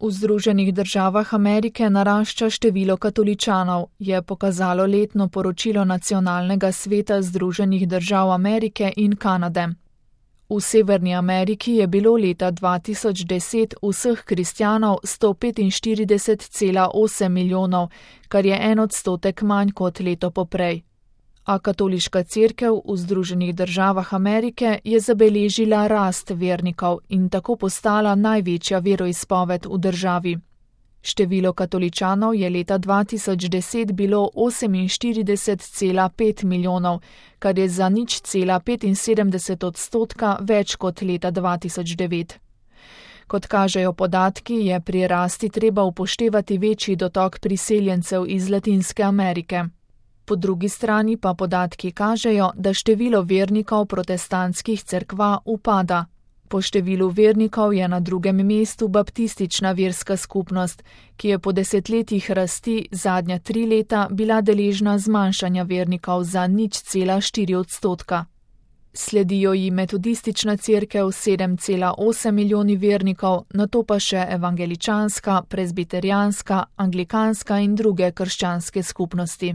V Združenih državah Amerike narašča število katoličanov, je pokazalo letno poročilo Nacionalnega sveta Združenih držav Amerike in Kanade. V Severni Ameriki je bilo leta 2010 vseh kristjanov 145,8 milijonov, kar je 1% manj kot leto poprej. A katoliška cerkev v Združenih državah Amerike je zabeležila rast vernikov in tako postala največja veroizpoved v državi. Število katoličanov je leta 2010 bilo 48,5 milijonov, kar je za 0,75% več kot leta 2009. Kot kažejo podatki, je pri rasti treba upoštevati večji dotok priseljencev iz Latinske Amerike. Po drugi strani pa podatki kažejo, da število vernikov protestantskih cerkva upada. Po številu vernikov je na drugem mestu baptistična verska skupnost, ki je po desetletjih rasti zadnja 3 leta bila deležna zmanjšanja vernikov za 0,4%. Sledijo ji metodistična cerkev 7,8 milijoni vernikov, nato pa še evangeličanska, prezbiterijanska, anglikanska in druge krščanske skupnosti.